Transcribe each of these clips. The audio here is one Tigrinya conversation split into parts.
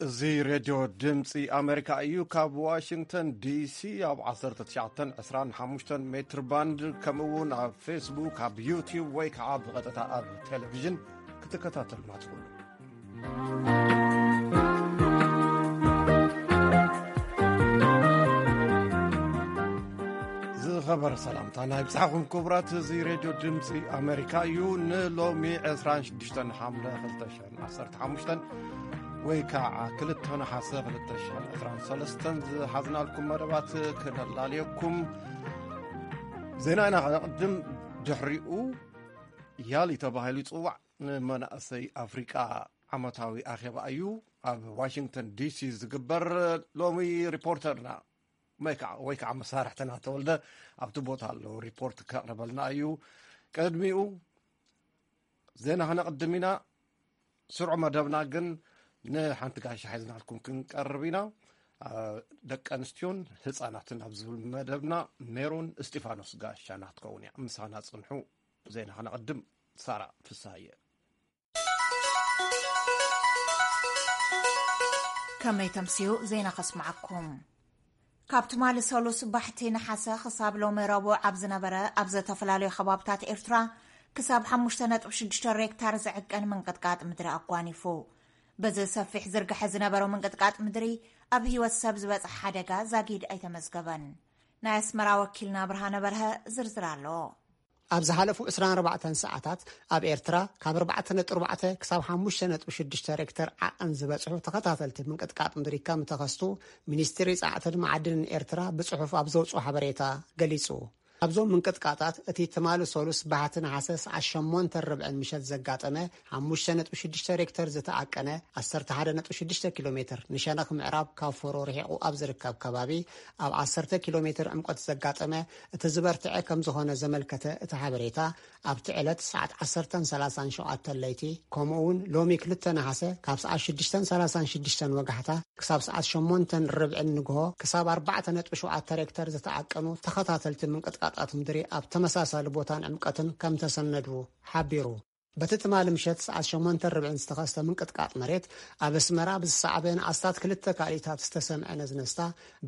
እዚ ሬድዮ ድምፂ ኣሜሪካ እዩ። ካብ ዋሽንግተን ዲሲ ኣብ ዓሰርተ ትሽዓተን ዕስራን ሓሙሽተን ሜትር ባንድ፣ ከምኡ እውን ኣብ ፌስቡክ፣ ኣብ ዩቲዩብ ወይ ከዓ ብቐጥታ ኣብ ቴሌቪዥን ክትከታተሉና ትኽእሉ። ዝኸበረ ሰላምታ ናይ ብጻሕኹም ክቡራት። እዚ ሬድዮ ድምፂ ኣሜሪካ እዩ። ንሎሚ ዕስራን ሽዱሽተን ሓምለ ክልተ ሽሕን ዓሰርተ ሓሙሽተን ወይ ከዓ ክልተ ነሓሰ ክልተ ሽሕን ዕስራን ሰለስተን ዝሓዝናልኩም መደባት ክነላልየኩም። ዜና ኢና ከነቕድም። ድሕሪኡ ያሊ ተባሂሉ ይጽዋዕ ንመናእሰይ ኣፍሪቃ ዓመታዊ ኣኼባ እዩ ኣብ ዋሽንግተን ዲሲ ዝግበር። ሎሚ ሪፖርተርና ወይ ከዓ፣ ወይ ከዓ መሳርሕትና ተወልደ ኣብቲ ቦታ ኣለዉ፣ ሪፖርት ከቕርበልና እዩ። ቅድሚኡ ዜና ክነቕድም ኢና። ስርዑ መደብና ግን ንሓንቲ ጋሻ ሒዝናልኩም ክንቀርብ ኢና። ኣ፣ ደቂ ኣንስትዮን ህፃናትን ኣብ ዝብል መደብና ሜሮን እስጢፋኖስ ጋሻና ክትከውን እያ። ምሳና ጽንሑ። ዜና ክነቕድም። ሳራ ፍስሃየ። ከመይ ተምስዩ ዜና ከስምዓኩም። ካብ ትማሊ ሰሉስ ባሕቲ ነሓሰ ክሳብ ሎሚ ረቡዕ ኣብ ዝነበረ፣ ኣብ ዝተፈላለዩ ከባብታት ኤርትራ ክሳብ ሓሙሽተ ነጥቢ ሽዱሽተ ሬክታር ዝዕቀን ምንቅጥቃጥ ምድሪ ኣጓኒፉ። በዚ ሰፊሕ ዝርግሐ ዝነበረው ምንቅጥቃጥ ምድሪ ኣብ ህይወት ሰብ ዝበጽሐ ሓደጋ ዛጊድ ኣይተመዝገበን። ናይ ኣስመራ ወኪልና ብርሃነ በርሀ ዝርዝር ኣለዎ። ኣብ ዝሓለፉ ዕስራን ኣርባዕተን ሰዓታት ኣብ ኤርትራ ካብ ኣርባዕተ ነጥቢ ኣርባዕተ ክሳብ ሓሙሽተ ነጥቢ ሽዱሽተ ሬክተር ዓቐን ዝበጽሑ ተኸታተልቲ ምንቅጥቃጥ ምድሪ ከም ተኸስቱ ሚኒስትሪ ጸዓትን መዓድንን ኤርትራ ብጽሑፍ ኣብ ዘውጽኦ ሓበሬታ ገሊጹ። ኣብዞም ምንቅጥቃጣት እቲ ትማሊ ሰሉስ ባሕቲ ነሓሰ ሰዓት ሸሞንተ ርብዕን ምሸት ዘጋጠመ ሓሙሽተ ነጥቢ ሽዱሽተ ሬክተር ዝተዓቀነ ዓሰርተ ሓደ ነጥቢ ሽዱሽተ ኪሎ ሜትር ንሸነኽ ምዕራብ ካብ ፎሮ ርሒቑ ኣብ ዝርከብ ከባቢ ኣብ ዓሰርተ ኪሎ ሜትር ዕምቆት ዘጋጠመ እቲ ዝበርትዐ ከም ዝኾነ ዘመልከተ እቲ ሓበሬታ፣ ኣብቲ ዕለት ሰዓት ዓሰርተን ሰላሳን ሸውዓተን ለይቲ፣ ከምኡ እውን ሎሚ ክልተ ነሓሰ ካብ ሰዓት ሽዱሽተን ሰላሳን ሽዱሽተን ወጋሕታ ክሳብ ሰዓት ሸሞንተን ርብዕን ንግሆ ክሳብ ኣርባዕተ ነጥቢ ሸውዓተ ሬክተር ዝተዓቀኑ ተኸታተልቲ ምንቅጥቃጣት ምድሪ ኣብ ተመሳሳሊ ቦታን ዕምቀትን ከም ተሰነዱ ሓቢሩ። በቲ ትማሊ ምሸት ሰዓት ሸሞንተ ርብዕን ዝተኸስተ ምንቅጥቃጥ መሬት፣ ኣብ ኣስመራ ብዝሰዓበ ንኣስታት ክልተ ካልኢታት ዝተሰምዐ ነዝነስታ፣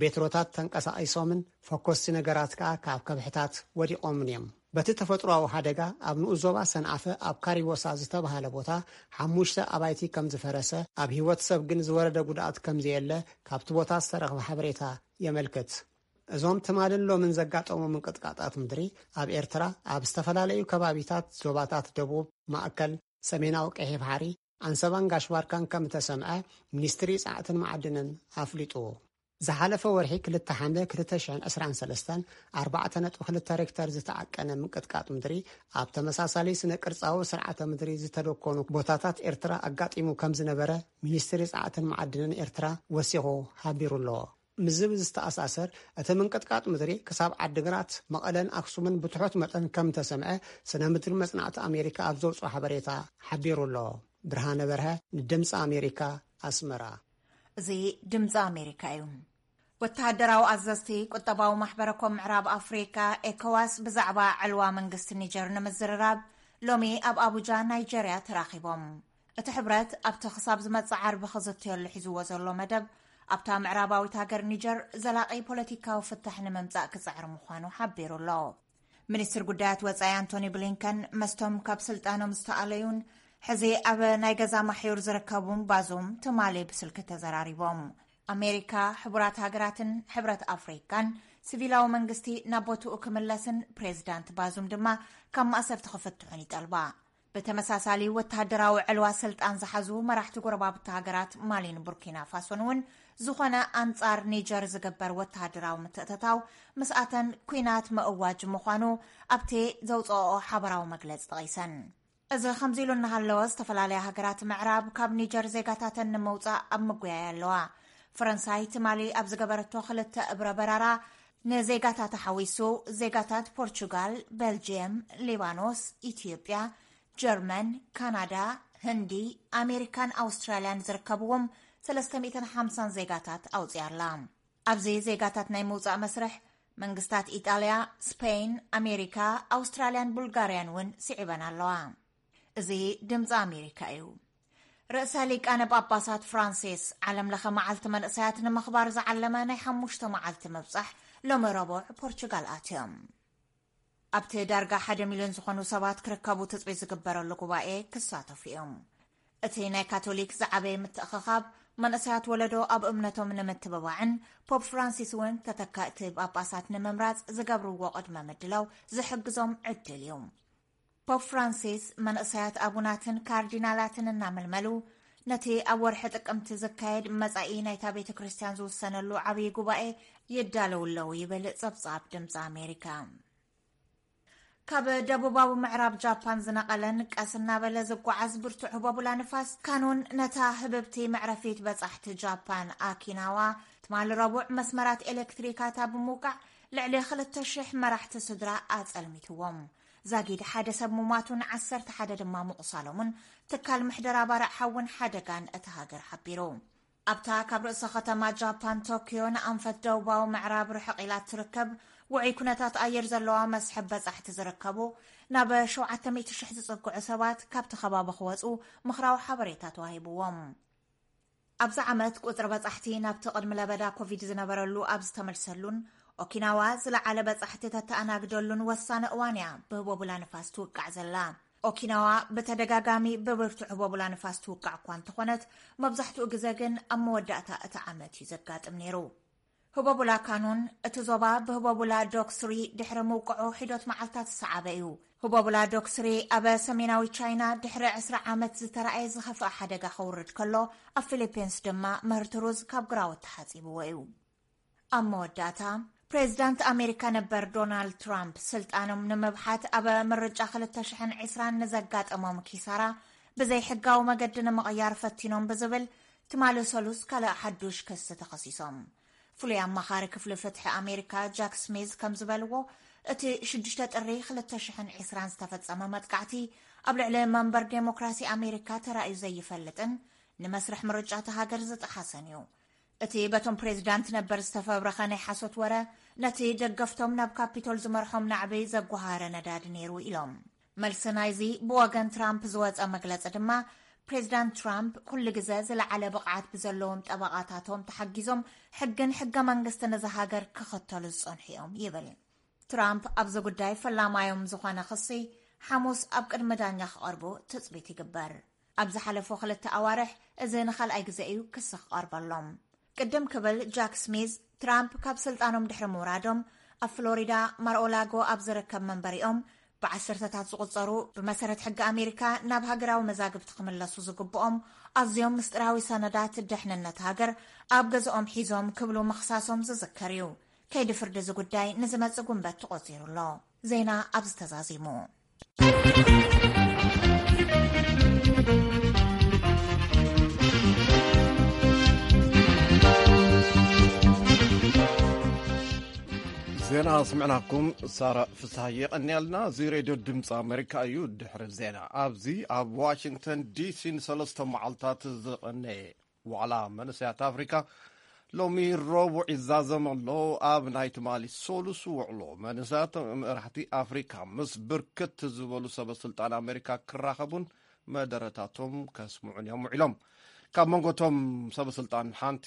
ቤትሮታት ተንቀሳቒሶምን ፈኮስቲ ነገራት ከኣ ካብ ከብሕታት ወዲቖምን እዮም። በቲ ተፈጥሮኣዊ ሓደጋ፣ ኣብ ንኡስ ዞባ ሰንዓፈ ኣብ ካሪቦሳ ዝተባህለ ቦታ ሓሙሽተ ኣባይቲ ከም ዝፈረሰ፣ ኣብ ህይወት ሰብ ግን ዝወረደ ጉድኣት ከም ዘየለ ካብቲ ቦታ ዝተረኽበ ሓበሬታ የመልክት። እዞም ትማልን ሎምን ዘጋጠሙ ምንቅጥቃጣት ምድሪ፣ ኣብ ኤርትራ ኣብ ዝተፈላለዩ ከባቢታት ዞባታት ደቡብ፣ ማእከል፣ ሰሜናዊ ቀይሕ ባሕሪ፣ ኣንሰባን ጋሽ ባርካን ከም እተሰምዐ ሚኒስትሪ ጸዓትን መዓድንን ኣፍሊጡ። ዝሓለፈ ወርሒ ክልተ ሓምለ ክልተ ሽሕን ዕስራን ሰለስተን ኣርባዕተ ነጥቢ ክልተ ሬክተር ዝተዓቀነ ምንቅጥቃጥ ምድሪ፣ ኣብ ተመሳሳሊ ስነ ቅርጻዊ ስርዓተ ምድሪ ዝተደኮኑ ቦታታት ኤርትራ ኣጋጢሙ ከም ዝነበረ ሚኒስትሪ ጸዓትን መዓድንን ኤርትራ ወሲኹ ሓቢሩ ኣሎ። ምስዚ ብዝተኣሳሰር፣ እቲ ምንቅጥቃጥ ምድሪ ክሳብ ዓዲግራት፣ መቐለን ኣክሱምን ብትሑት መጠን ከም እተሰምዐ ስነ ምድሪ መጽናዕቲ ኣሜሪካ ኣብ ዘውጽኦ ሓበሬታ ሓቢሩ ኣሎ። ብርሃነ በርሀ ንድምፂ ኣሜሪካ፣ ኣስመራ። እዚ ድምፂ ኣሜሪካ እዩ። ወተሃደራዊ ኣዘዝቲ ቁጠባዊ ማሕበረ ኮም ምዕራብ ኣፍሪካ፣ ኤኮዋስ፣ ብዛዕባ ዕልዋ መንግስቲ ኒጀር ንምዝርራብ ሎሚ ኣብ ኣቡጃ፣ ናይጀርያ፣ ተራኺቦም። እቲ ሕብረት ኣብቲ ክሳብ ዝመጽእ ዓርቢ ክዝተየሉ ሒዝዎ ዘሎ መደብ፣ ኣብታ ምዕራባዊት ሃገር ኒጀር ዘላቒ ፖለቲካዊ ፍታሕ ንምምጻእ ክጽዕር ምዃኑ ሓቢሩ ኣሎ። ሚኒስትር ጉዳያት ወጻኢ ኣንቶኒ ብሊንከን መስቶም ካብ ስልጣኖም ዝተኣለዩን ሕዚ ኣብ ናይ ገዛ ማሕዩር ዝርከቡን ባዙም ትማሊ ብስልኪ ተዘራሪቦም። ኣሜሪካ፣ ሕቡራት ሃገራትን ሕብረት ኣፍሪካን ሲቪላዊ መንግስቲ ናብ ቦትኡ ክምለስን ፕሬዚዳንት ባዙም ድማ ካብ ማእሰርቲ ክፍትሑን ይጠልባ። ብተመሳሳሊ ወተሃደራዊ ዕልዋ ስልጣን ዝሓዙ መራሕቲ ጎረባብቲ ሃገራት ማሊን ቡርኪና ፋሶን እውን ዝኾነ ኣንጻር ኒጀር ዝግበር ወተሃደራዊ ምትእትታው ምስኣተን ኲናት ምእዋጅ ምዃኑ ኣብቲ ዘውፅኦ ሓበራዊ መግለፂ ጠቒሰን። እዚ ከምዚ ኢሉ እናሃለወ፣ ዝተፈላለያ ሃገራት ምዕራብ ካብ ኒጀር ዜጋታተን ንምውፃእ ኣብ ምጉያይ ኣለዋ። ፈረንሳይ ትማሊ ኣብ ዝገበረቶ ክልተ እብረ በራራ፣ ንዜጋታታ ሓዊሱ ዜጋታት ፖርቹጋል፣ ቤልጅየም፣ ሊባኖስ፣ ኢትዮጵያ፣ ጀርመን፣ ካናዳ፣ ህንዲ፣ ኣሜሪካን ኣውስትራልያን ዝርከብዎም ሰለስተ ሚእትን ሓምሳን ዜጋታት ኣውፅያ ኣላ። ኣብዚ ዜጋታት ናይ ምውፃእ መስርሕ መንግስታት ኢጣልያ፣ ስፔን፣ ኣሜሪካ፣ ኣውስትራልያን ቡልጋርያን እውን ስዒበን ኣለዋ። እዚ ድምፂ ኣሜሪካ እዩ። ርእሰ ሊቃነ ጳጳሳት ፍራንሲስ ዓለም ለኸ መዓልቲ መንእሰያት ንምኽባር ዝዓለመ ናይ ሓሙሽተ መዓልቲ ምብጻሕ ሎሚ ረቡዕ ፖርቹጋል ኣትዮም። ኣብቲ ዳርጋ ሓደ ሚልዮን ዝኾኑ ሰባት ክርከቡ ትጽቢት ዝግበረሉ ጉባኤ ክሳተፉ እዮም። እቲ ናይ ካቶሊክ ዝዓበየ ምትእኽኻብ መንእሰያት ወለዶ ኣብ እምነቶም ንምትብባዕን ፖፕ ፍራንሲስ እውን ተተካእቲ ጳጳሳት ንምምራጽ ዝገብርዎ ቅድመ ምድላው ዝሕግዞም ዕድል እዩ። ፖፕ ፍራንሲስ መንእሰያት ኣቡናትን ካርዲናላትን እናመልመሉ ነቲ ኣብ ወርሒ ጥቅምቲ ዝካየድ መጻኢ ናይታ ቤተ ክርስቲያን ዝውሰነሉ ዓብዪ ጉባኤ ይዳለዉ ኣለዉ ይብል ጸብጻብ ድምፂ ኣሜሪካ። ካብ ደቡባዊ ምዕራብ ጃፓን ዝነቐለን ቀስ እናበለ ዝጓዓዝ ብርቱዕ ህቦቡላ ንፋስ ካኑን ነታ ህብብቲ መዕረፊት በጻሕቲ ጃፓን ኣኪናዋ ትማሊ ረቡዕ መስመራት ኤሌክትሪካታ ብምውቃዕ ልዕሊ ክልተ ሽሕ መራሕቲ ስድራ ኣጸልሚትዎም። ዛጊድ ሓደ ሰብ ሙማቱን ዓሰርተ ሓደ ድማ ምቑሳሎምን ትካል ምሕደራ ባርዕ ሓውን ሓደጋን እታ ሃገር ሓቢሩ። ኣብታ ካብ ርእሰ ከተማ ጃፓን ቶኪዮ ንኣንፈት ደቡባዊ ምዕራብ ርሕቕ ኢላ እትርከብ ውዑይ ኩነታት ኣየር ዘለዋ መስሕብ በጻሕቲ ዝርከቡ ናብ ሸውዓተ ሚእቲ ሽሕ ዝጽግዑ ሰባት ካብቲ ከባቢ ክወጹ ምኽራዊ ሓበሬታ ተዋሂብዎም። ኣብዚ ዓመት ቁጽሪ በጻሕቲ ናብቲ ቅድሚ ለበዳ ኮቪድ ዝነበረሉ ኣብ ዝተመልሰሉን ኦኪናዋ ዝለዓለ በጻሕቲ ተተኣናግደሉን ወሳኒ እዋን እያ ብህቦቡላ ንፋስ ትውቃዕ ዘላ። ኦኪናዋ ብተደጋጋሚ ብብርቱዕ ህቦቡላ ንፋስ ትውቃዕ እኳ እንተኾነት፣ መብዛሕትኡ ግዜ ግን ኣብ መወዳእታ እቲ ዓመት እዩ ዘጋጥም ነይሩ። ህቦቡላ ካኑን እቲ ዞባ ብህቦቡላ ዶክስሪ ድሕሪ ምውቅዑ ሒዶት መዓልታት ዝሰዓበ እዩ። ህቦቡላ ዶክስሪ ኣብ ሰሜናዊ ቻይና ድሕሪ ዕስራ ዓመት ዝተራእየ ዝኸፍአ ሓደጋ ከውርድ ከሎ፣ ኣብ ፊሊፒንስ ድማ ምህርቲ ሩዝ ካብ ግራውት ተሓጺብዎ እዩ። ኣብ መወዳእታ፣ ፕሬዚዳንት ኣሜሪካ ነበር ዶናልድ ትራምፕ ስልጣኖም ንምብሓት ኣብ ምርጫ ክልተ ሽሕን ዕስራን ንዘጋጠሞም ኪሳራ ብዘይሕጋዊ መገዲ ንምቕያር ፈቲኖም ብዝብል ትማሊ ሰሉስ ካልእ ሓዱሽ ክሲ ተኸሲሶም። ፍሉይ ኣማኻሪ ክፍሊ ፍትሒ ኣሜሪካ ጃክ ስሚዝ ከም ዝበልዎ፣ እቲ ሽዱሽተ ጥሪ ክልተ ሽሕን ዕስራን ዝተፈጸመ መጥቃዕቲ ኣብ ልዕሊ መንበር ዴሞክራሲ ኣሜሪካ ተራእዩ ዘይፈልጥን ንመስርሕ ምርጫ እታ ሃገር ዝጠሓሰን እዩ። እቲ በቶም ፕሬዚዳንት ነበር ዝተፈብረኸ ናይ ሓሶት ወረ፣ ነቲ ደገፍቶም ናብ ካፒቶል ዝመርሖም ናዕቢ ዘጓሃረ ነዳዲ ነይሩ ኢሎም። መልሲ ናይዚ ብወገን ትራምፕ ዝወጸ መግለጺ ድማ፣ ፕሬዚዳንት ትራምፕ ኩሉ ግዜ ዝለዓለ ብቕዓት ብዘለዎም ጠበቓታቶም ተሓጊዞም ሕግን ሕገ መንግስትን እዛ ሃገር ክኽተሉ ዝጸንሑ እዮም ይብል። ትራምፕ ኣብዚ ጉዳይ ፈላማዮም ዝኾነ ክሲ ሓሙስ ኣብ ቅድሚ ዳኛ ክቐርቡ ትጽቢት ይግበር። ኣብ ዝሓለፉ ክልተ ኣዋርሕ እዚ ንኻልኣይ ግዜ እዩ ክሲ ክቐርበሎም። ቅድም ክብል ጃክ ስሚዝ፣ ትራምፕ ካብ ስልጣኖም ድሕሪ ምውራዶም ኣብ ፍሎሪዳ ማርኦላጎ ኣብ ዝርከብ መንበሪኦም ብዓሰርተታት ዝቑጸሩ ብመሰረት ሕጊ ኣሜሪካ ናብ ሃገራዊ መዛግብቲ ክምለሱ ዝግብኦም ኣዝዮም ምስጢራዊ ሰነዳት ደሕንነት ሃገር ኣብ ገዝኦም ሒዞም ክብሉ ምኽሳሶም ዝዝከር እዩ። ከይዲ ፍርዲ እዚ ጉዳይ ንዝመጽእ ጉንበት ተቖጺሩ ኣሎ። ዜና ኣብዚ ተዛዚሙ። ዜና ስምዕናኩም ሳራ ፍስሃየ የቐንያልና። እዚ ሬድዮ ድምፂ ኣሜሪካ እዩ። ድሕሪ ዜና ኣብዚ ኣብ ዋሽንግተን ዲሲ ንሰለስተ መዓልታት ዝቐነየ ዋዕላ መንእሰያት ኣፍሪካ ሎሚ ረቡዕ ይዛዘም ኣሎ። ኣብ ናይ ትማሊ ሰሉስ ውዕሎ መንእሰያት መራሕቲ ኣፍሪካ ምስ ብርክት ዝበሉ ሰበ ስልጣን ኣሜሪካ ክራኸቡን መደረታቶም ከስምዑን እዮም ውዒሎም። ካብ መንጎቶም ሰበ ስልጣን ሓንቲ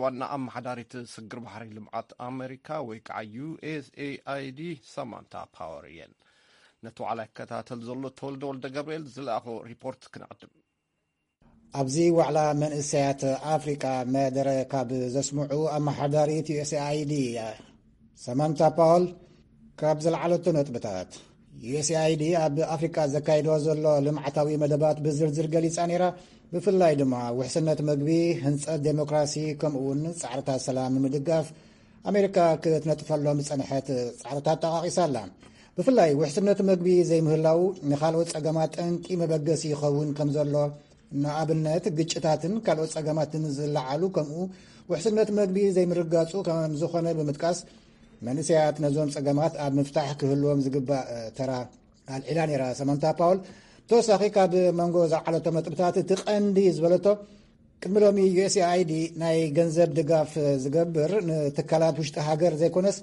ዋና ኣመሓዳሪት ስግር ባሕሪ ልምዓት ኣሜሪካ ወይ ከዓ ዩ ኤስ ኤ ኣይ ዲ ሰማንታ ፓወር እየን። ነቲ ዋዕላ ይከታተል ዘሎ ተወልደ ወልደ ገብርኤል ዝለኣኾ ሪፖርት ክነቕድም። ኣብዚ ዋዕላ መንእሰያት ኣፍሪቃ መደረ ካብ ዘስምዑ ኣመሓዳሪት ዩ ኤስ ኤ ኣይ ዲ ሰማንታ ፓወል ካብ ዝለዓለቶ ነጥብታት፣ ዩ ኤስ ኤ ኣይ ዲ ኣብ ኣፍሪቃ ዘካይዶ ዘሎ ልምዓታዊ መደባት ብዝርዝር ገሊጻ ነይራ። ብፍላይ ድማ ውሕስነት ምግቢ፣ ህንጸት ዴሞክራሲ፣ ከምኡ እውን ጻዕርታት ሰላም ንምድጋፍ ኣሜሪካ ክትነጥፈሎም ዝጸንሐት ጻዕርታት ጠቓቒሳ ኣላ። ብፍላይ ውሕስነት ምግቢ ዘይምህላው ንኻልኦት ጸገማት ጠንቂ መበገሲ ይኸውን ከም ዘሎ፣ ንኣብነት ግጭታትን ካልኦት ጸገማትን ዝለዓሉ ከምኡ ውሕስነት ምግቢ ዘይምርጋጹ ከም ዝኾነ ብምጥቃስ፣ መንእሰያት ነዞም ጸገማት ኣብ ምፍታሕ ክህልዎም ዝግባእ ተራ ኣልዒላ ነይራ ሰማንታ ፓውል። ተወሳኺ ካብ መንጎ ዝዓለቶም ነጥብታት እቲ ቀንዲ ዝበለቶ፣ ቅድሚ ሎሚ ዩ ኤስ ኤ ኣይ ዲ ናይ ገንዘብ ድጋፍ ዝገብር ንትካላት ውሽጢ ሃገር ዘይኮነስ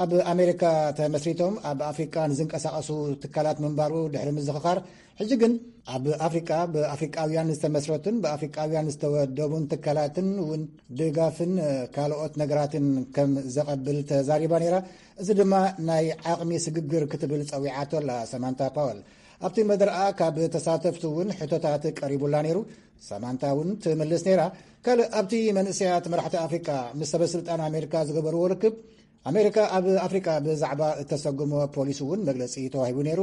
ኣብ ኣሜሪካ ተመስሪቶም ኣብ ኣፍሪቃ ንዝንቀሳቐሱ ትካላት ምንባሩ ድሕሪ ምዝኽኻር፣ ሕጂ ግን ኣብ ኣፍሪቃ ብኣፍሪቃውያን ዝተመስረቱን ብኣፍሪቃውያን ዝተወደቡን ትካላትን እውን ድጋፍን ካልኦት ነገራትን ከም ዘቐብል ተዛሪባ ነይራ። እዚ ድማ ናይ ዓቕሚ ስግግር ክትብል ጸዊዓቶ ኣላ ሰማንታ ፓወል። ኣብቲ መደርኣ ካብ ተሳተፍቲ እውን ሕቶታት ቀሪቡላ ነይሩ። ሰማንታ እውን ትምልስ ነይራ። ካልእ ኣብቲ መንእሰያት መራሕቲ ኣፍሪቃ ምስ ሰበስልጣን ኣሜሪካ ዝገበርዎ ርክብ፣ ኣሜሪካ ኣብ ኣፍሪቃ ብዛዕባ እተሰጉሞ ፖሊሲ እውን መግለጺ ተዋሂቡ ነይሩ።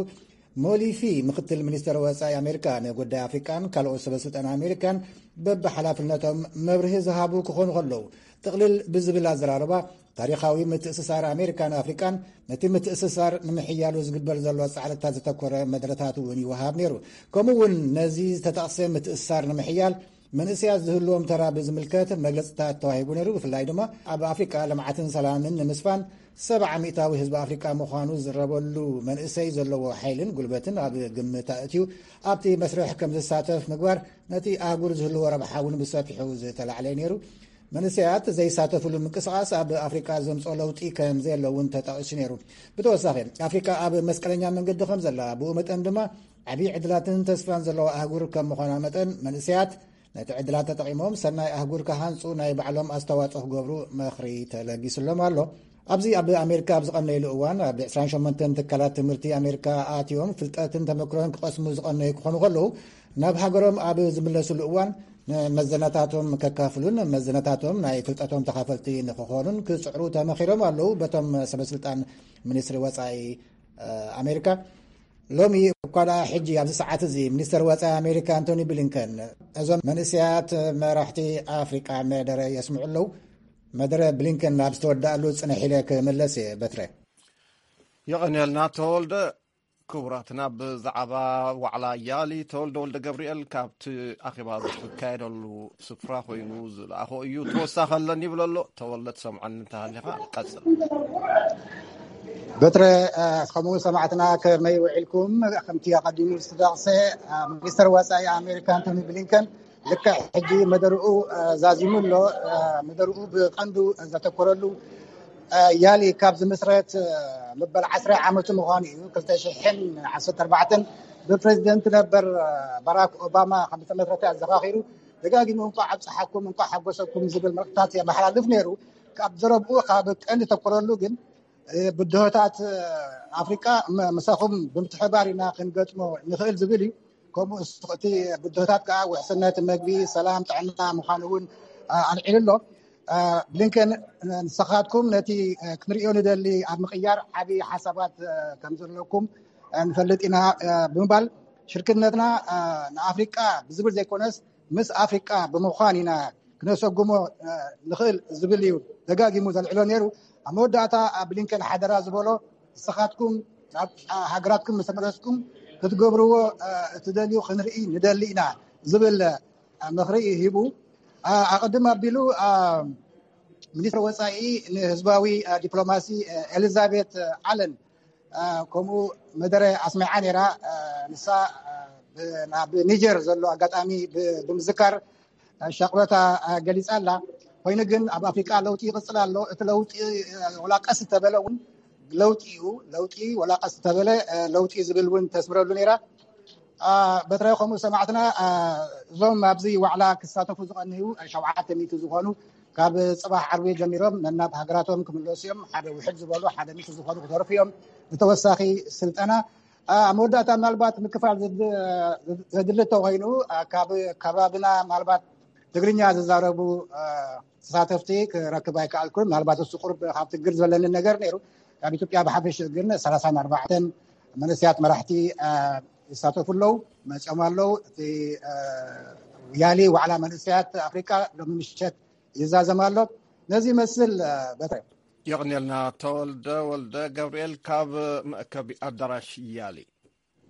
ሞሊፊ፣ ምክትል ሚኒስተር ወጻኢ ኣሜሪካ ንጉዳይ ኣፍሪቃን ካልኦት ሰበስልጣን ኣሜሪካን በብሓላፍነቶም መብርሂ ዝሃቡ ክኾኑ ከለዉ፣ ጥቕልል ብዝብል ኣዘራርባ፣ ታሪኻዊ ምትእስሳር ኣሜሪካን ኣፍሪቃን፣ ነቲ ምትእስሳር ንምሕያሉ ዝግበር ዘሎ ጻዕርታት ዘተኮረ መደረታት እውን ይወሃብ ነይሩ። ከምኡ እውን ነዚ ዝተጠቕሰ ምትእስሳር ንምሕያል መንእሰያት ዝህልዎም ተራ ብዝምልከት መግለጽታት ተዋሂቡ ነይሩ። ብፍላይ ድማ ኣብ ኣፍሪቃ ልምዓትን ሰላምን ንምስፋን ሰብዓ ሚእታዊ ህዝቢ ኣፍሪቃ ምዃኑ ዝረበሉ መንእሰይ ዘለዎ ሓይልን ጉልበትን ኣብ ግምት ኣእትዩ ኣብቲ መስርሕ ከም ዝሳተፍ ምግባር ነቲ ኣህጉር ዝህልዎ ረብሓ እውን ብሰፊሑ ዝተላዕለ ነይሩ። መንእሰያት ዘይሳተፍሉ ምንቅስቓስ ኣብ ኣፍሪቃ ዘምፅኦ ለውጢ ከም ዘየለ እውን ተጠቒሱ ነይሩ። ብተወሳኺ ኣፍሪቃ ኣብ መስቀለኛ መንገዲ ከም ዘላ፣ ብኡ መጠን ድማ ዓብዪ ዕድላትን ተስፋን ዘለዋ ኣህጉር ከም ምዃና መጠን መንእሰያት ነቲ ዕድላት ተጠቒሞም ሰናይ ኣህጉር ክሃንፁ ናይ ባዕሎም ኣስተዋፅኦ ክገብሩ ምኽሪ ተለጊስሎም ኣሎ። ኣብዚ ኣብ ኣሜሪካ ኣብ ዝቐነይሉ እዋን ኣብ ዕስራን ሸሞንተን ትካላት ትምህርቲ ኣሜሪካ ኣትዮም ፍልጠትን ተመክሮን ክቐስሙ ዝቐነዩ ክኾኑ ከለዉ ናብ ሃገሮም ኣብ ዝምለስሉ እዋን ንመዘናታቶም ከካፍሉን መዘናታቶም ናይ ፍልጠቶም ተኻፈልቲ ንክኾኑን ክፅዕሩ ተመኺሮም ኣለዉ በቶም ሰበስልጣን ሚኒስትሪ ወፃኢ ኣሜሪካ። ሎሚ እኳ ደኣ ሕጂ ኣብዚ ሰዓት እዚ ሚኒስተር ወጻኢ ኣሜሪካ ኣንቶኒ ብሊንከን እዞም መንእሰያት መራሕቲ ኣፍሪቃ መደረ የስምዑ ኣለዉ። መደረ ብሊንከን ናብ ዝተወዳእሉ ጽንሕ ኢለ ክምለስ እየ። በትረ። የቐንየልና ተወልደ። ክቡራትና፣ ብዛዕባ ዋዕላ ያሊ ተወልደ ወልደ ገብርኤል ካብቲ ኣኼባ ዝካየደሉ ስፍራ ኮይኑ ዝለኣኾ እዩ። ተወሳኺ ኣለኒ ይብል ኣሎ። ተወልደ፣ ትሰምዓኒ እንተሃሊኻ ቀጽል። በትረ፣ ከምኡ ሰማዕትና ከመይ ውዒልኩም? ከምቲ ኣቐዲሙ ዝተጠቕሰ፣ ሚኒስተር ወጻኢ ኣሜሪካ ኣንቶኒ ብሊንከን ልክዕ ሕጂ መደርኡ ዛዚሙ ኣሎ። መደርኡ ብቐንዱ ዘተኮረሉ ያሊ ካብ ዝምስረት መበል ዓስራ ዓመቱ ምዃኑ እዩ። ክልተ ሽሕን ዓሰርተ ኣርባዕተን ብፕሬዚደንት ነበር ባራክ ኦባማ ከም ዝተመስረተ ኣዘኻኺሩ፣ ደጋጊሙ እንኳዕ ኣብፀሓኩም፣ እንኳዕ ሓጎሰኩም ዝብል መልእኽታት የመሓላልፍ ነይሩ። ካብ ዘረብኡ ካብ ቀንዲ ተኮረሉ ግን ብድሆታት ኣፍሪቃ ምሳኹም ብምትሕባር ኢና ክንገጥሞ ንኽእል ዝብል እዩ። ከምኡ እቲ ብድሆታት ከዓ ውሕስነት መግቢ፣ ሰላም፣ ጥዕና ምዃኑ እውን ኣልዒሉ ኣሎ። ብሊንከን ንስኻትኩም ነቲ ክንሪኦ ንደሊ ኣብ ምቕያር ዓብዪ ሓሳባት ከም ዘለኩም ንፈልጥ ኢና ብምባል ሽርክነትና ንኣፍሪቃ ብዝብል ዘይኮነስ ምስ ኣፍሪቃ ብምዃን ኢና ክነሰጉሞ ንኽእል ዝብል እዩ ደጋጊሙ ዘልዕሎ ነይሩ። ኣብ መወዳእታ ብሊንከን ሓደራ ዝበሎ ንስኻትኩም ናብ ሃገራትኩም ምስ ተመለስኩም ክትገብርዎ እትደልዩ ክንርኢ ንደሊ ኢና ዝብል ምኽሪ ሂቡ። ኣቐድም ኣቢሉ ሚኒስትር ወፃኢ ንህዝባዊ ዲፕሎማሲ ኤሊዛቤት ኣለን ከምኡ መደረ ኣስሚዓ ነይራ። ንሳ ናብ ኒጀር ዘሎ ኣጋጣሚ ብምዝካር ሻቕሎታ ገሊፃ ኣላ። ኮይኑ ግን ኣብ ኣፍሪቃ ለውጢ ይቕፅል ኣሎ። እቲ ለውጢ ወላ ቀስ እንተበለ እውን ለውጢ እዩ። ለውጢ ወላ ቀስ እንተበለ ለውጢ ዝብል እውን ተስምረሉ ነይራ። በትረ ከምኡ ሰማዕትና እዞም ኣብዚ ዋዕላ ክሳተፉ ዝቐንዩ ሸውዓተ ሚእቲ ዝኾኑ ካብ ፅባሕ ዓርቢ ጀሚሮም ነናብ ሃገራቶም ክምለሱ እዮም። ሓደ ውሕድ ዝበሉ ሓደ ሚእቲ ዝኾኑ ክተርፉ እዮም ንተወሳኺ ስልጠና። ኣብ መወዳእታ ምናልባት ምክፋል ዘድሊ እንተኮይኑ ካብ ከባብና ምናልባት ትግርኛ ዝዛረቡ ተሳተፍቲ ክረክብ ኣይከኣልኩን። ምናልባት እሱ ቁርብ ካብ ትግር ዝበለኒ ነገር ነይሩ። ካብ ኢትዮጵያ ብሓፈሽ ግን ሰላሳን ኣርባዕተን መንእሰያት መራሕቲ ይሳተፉ ኣለዉ፣ መፅኦም ኣለዉ። እቲ ያሊ ዋዕላ መንእሰያት ኣፍሪቃ ሎሚ ምሸት ይዛዘም ኣሎ። ነዚ ይመስል በትረ። የቕንየልና ተወልደ ወልደ ገብርኤል ካብ መእከቢ ኣዳራሽ ያሊ።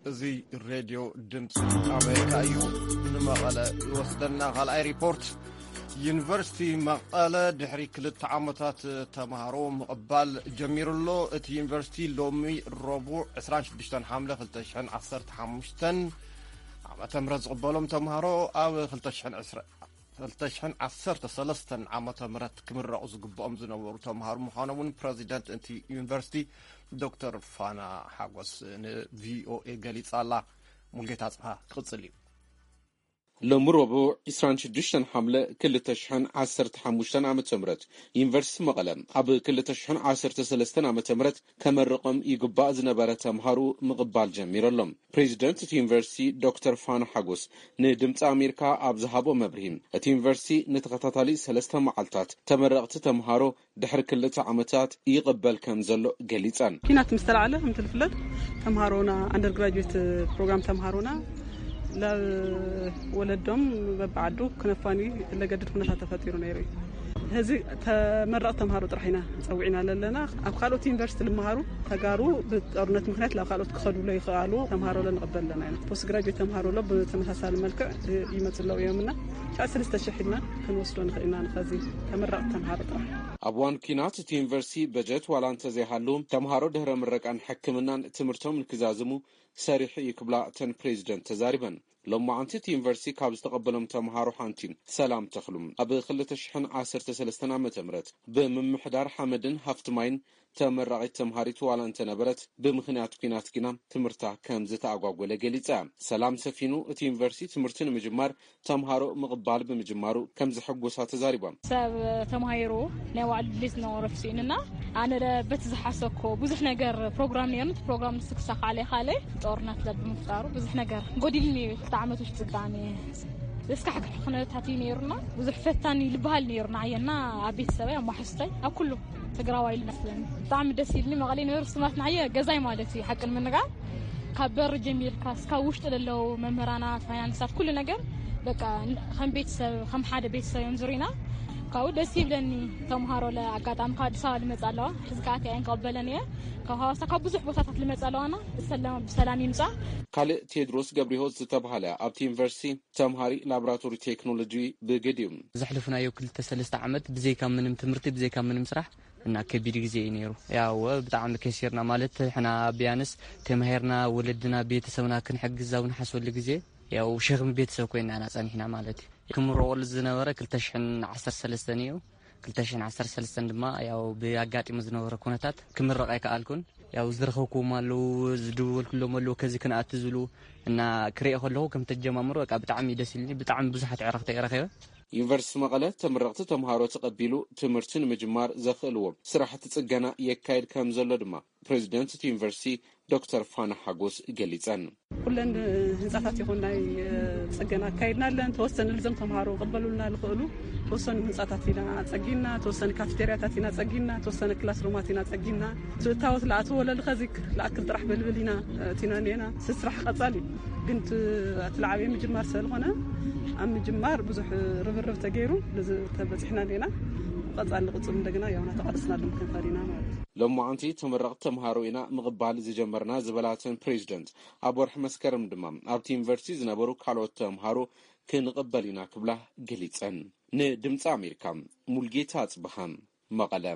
እዚ ሬድዮ ድምፂ ኣሜሪካ እዩ። ንመቐለ ይወስደና ካልኣይ ሪፖርት። ዩኒቨርሲቲ መቐለ ድሕሪ ክልተ ዓመታት ተምሃሮ ምቕባል ጀሚሩ ኣሎ። እቲ ዩኒቨርሲቲ ሎሚ ረቡዕ ዕስራን ሽዱሽተን ሓምለ ክልተ ሽሕን ዓሰርተ ሓሙሽተን ዓመተ ምህረት ዝቕበሎም ተምሃሮ ኣብ ክልተ ሽሕን ዕስራን ክልተ ሽሕን ዓሰርተ ሰለስተን ዓመተ ምህረት ክምረቑ ዝግብኦም ዝነበሩ ተምሃሮ ምዃኖም እውን ፕረዚደንት እቲ ዩኒቨርሲቲ ዶክተር ፋና ሓጎስ ንቪኦኤ ገሊጻ ኣላ። ሙልጌታ ኣጽብሃ ክቕጽል እዩ። ሎሚ ረቡዕ ዕስራን ሽዱሽተን ሓምለ ክልተ ሽሕን ዓሰርተ ሓሙሽተን ዓመተ ምህረት ዩኒቨርሲቲ መቐለ ኣብ ክልተ ሽሕን ዓሰርተ ሰለስተን ዓመተ ምህረት ከመርቕም ይግባእ ዝነበረ ተምሃሮ ምቕባል ጀሚሩ ኣሎ። ፕሬዚደንት እቲ ዩኒቨርሲቲ ዶክተር ፋና ሓጎስ ንድምፂ ኣሜሪካ ኣብ ዝሃቦ መብርሂ፣ እቲ ዩኒቨርሲቲ ንተኸታታሊ ሰለስተ መዓልታት ተመረቕቲ ተምሃሮ ድሕሪ ክልተ ዓመታት ይቕበል ከም ዘሎ ገሊጸን። ኲናት ምስ ተላዕለ ከምቲ ዝፍለጥ ተምሃሮና ኣንደርግራጁዌት ፕሮግራም ተምሃሮና ናብ ወለዶም በብዓዱ ክነፋንዩ ለገድድ ኩነታት ተፈጢሩ ነይሩ እዩ። ሕዚ ተመረቕ ተምሃሮ ጥራሕ ኢና ጸዊዕና ዘለና። ኣብ ካልኦት ዩኒቨርሲቲ ልመሃሩ ተጋሩ ብጦርነት ምክንያት ናብ ካልኦት ክኸዱ ለይኽኣሉ ተምሃሮ ለንቕበል ኣለና ኢና። ፖስት ግራጁዌት ተምሃሮ ሎ ብተመሳሳሊ መልክዕ ይመጽእ ኣለዉ እዮም እና ሻዕ ሰለስተ ሽሕ ኢልና ክንወስዶ ንኽእል ኢና ንኸዚ ተመረቕ ተምሃሮ ጥራሕ። ኣብ እዋን ኲናት እቲ ዩኒቨርሲቲ በጀት ዋላ እንተዘይሃሉ ተምሃሮ ድህረ ምረቃን ሕክምናን ትምህርቶም ንክዛዝሙ ሰሪሑ እዩ ክብላ እተን ፕሬዚደንት ተዛሪበን። ሎማዓንቲ እቲ ዩኒቨርሲቲ ካብ ዝተቐበሎም ተምሃሮ ሓንቲ ሰላም ተኽሉ ኣብ ክልተ ሽሕን ዓሰርተ ሰለስተን ዓመተ ምህረት ብምምሕዳር ሓመድን ሃፍቲ ማይን ተመራቒት ተምሃሪት ዋላ እንተነበረት ብምኽንያት ኲናት ግና ትምህርታ ከም ዝተኣጓጎለ ገሊጻ። ሰላም ሰፊኑ እቲ ዩኒቨርሲቲ ትምህርቲ ንምጅማር ተምሃሮ ምቕባል ብምጅማሩ ከም ዘሐጎሳ ተዛሪባ። ሰብ ተማሂሩ ናይ ባዕሉ ድሌት ዝነበሮ ስኢንና ኣነ ለ በቲ ዝሓሰብኮ ብዙሕ ነገር ፕሮግራም ነይሩ። እቲ ፕሮግራም ንሱ ክሳኻዕ ለይኻለ ጦርነት ለብምፍጣሩ ብዙሕ ነገር ጎዲልኒ እዩ። ክልተ ዓመት ውሽጢ ጽጋኒ ዘስካሕክሕ ኩነታት እዩ ነይሩና። ብዙሕ ፈታኒ ልበሃል ነይሩና ኣየና ኣብ ቤተሰበይ ኣብ ማሕስታይ ኣብ ኩሉ ትግራዋይ ኢሉ መስለኒ። ብጣዕሚ ደስ ኢልኒ። መቐሌ ነበሩ ስማት ንዓየ ገዛይ ማለት እዩ ሓቂ ንምንጋር ካብ በር ጀሚርካ እስካብ ውሽጢ ለለዉ መምህራናት ፋይናንሳት ኩሉ ነገር በቃ ከም ቤተሰብ ከም ሓደ ቤተሰብ እዮም ዙሪና። ካብኡ ደስ ይብለኒ። ተምሃሮ ለ ኣጋጣሚ ካብ ኣዲስ ኣበባ ልመጽእ ኣለዋ ሕዚ ከኣት እየን ክቐበለን እየ። ካብ ሃዋሳ ካብ ብዙሕ ቦታታት ልመጽእ ኣለዋና ብሰላም ብሰላም ይምጻ። ካልእ ቴድሮስ ገብሪሆት ዝተባሃለ ኣብቲ ዩኒቨርሲቲ ተምሃሪ ላቦራቶሪ ቴክኖሎጂ ብግድ እዩ። ዘሕለፍናዮ ክልተ ሰለስተ ዓመት ብዘይካ ምንም ትምህርቲ ብዘይካ ምንም ስራሕ እና ከቢድ ግዜ እዩ ነይሩ። ያው ብጣዕሚ ከሲርና ማለት ሕና ቢያንስ ተማሂርና ወለድና ቤተሰብና ክንሕግዝ ኣብ ንሓስበሉ ግዜ ያው ሸኽሚ ቤተሰብ ኮይና ኢና ጸኒሕና ማለት እዩ። ክምረቐሉ ዝነበረ ክልተ ሽሕን ዓሰርተ ሰለስተን እዩ። ክልተ ሽሕን ዓሰርተ ሰለስተን ድማ ያው ብኣጋጢሙ ዝነበረ ኩነታት ክምረቕ ኣይከኣልኩን። ያው ዝረኸብኩዎም ኣለዉ፣ ዝድወልኩሎም ኣለዉ፣ ከዚ ክንኣቱ ዝብሉ እና ክሪኦ ከለኹ ከም ተጀማምሩ በቃ ብጣዕሚ እዩ ደስ ኢልኒ። ብጣዕሚ ብዙሓት ዕረኽቲ እየ ረኺበ። ዩኒቨርሲቲ መቐለ ተመረቕቲ ተምሃሮ ተቐቢሉ ትምህርቲ ንምጅማር ዘኽእልዎ ስራሕቲ ጽገና የካይድ ከም ዘሎ ድማ ፕሬዚደንት እቲ ዩኒቨርሲቲ ዶክተር ፋና ሓጎስ ገሊጸን። ኩለን ህንጻታት ይኹን ናይ ጽገና ኣካይድና ኣለን። ተወሰነ ልዘም ተምሃሮ ቅበሉልና ዝኽእሉ ተወሰኑ ህንጻታት ኢና ጸጊና፣ ተወሰነ ካፌቴርያታት ኢና ጸጊና፣ ተወሰነ ክላስሩማት ኢና ጸጊና። ትእታወት ለኣትዎ ለልኸዚክ ለኣክል ጥራሕ በልብል ኢና እቲና ኔና ስራሕ ቀጻሊ ግን እቲ እቲ ለዓበይ ምጅማር ስለዝኾነ ኣብ ምጅማር ብዙሕ ርብርብ ተገይሩ ነዚ ተበጺሕና ኔና። ቀጻሊ ንቕጽል እንደገና ያው እናተቓለስና ሎም ክንኸድ ኢና ማለት እዩ። ሎማዓንቲ ተመረቕቲ ተምሃሮ ኢና ምቕባል ዝጀመርና ዝበላትን ፕሬዚደንት ኣብ ወርሒ መስከረም ድማ ኣብቲ ዩኒቨርሲቲ ዝነበሩ ካልኦት ተምሃሮ ክንቕበል ኢና ክብላ ገሊጸን። ንድምፂ ኣሜሪካ ሙልጌታ ኣጽብሃ መቐለ።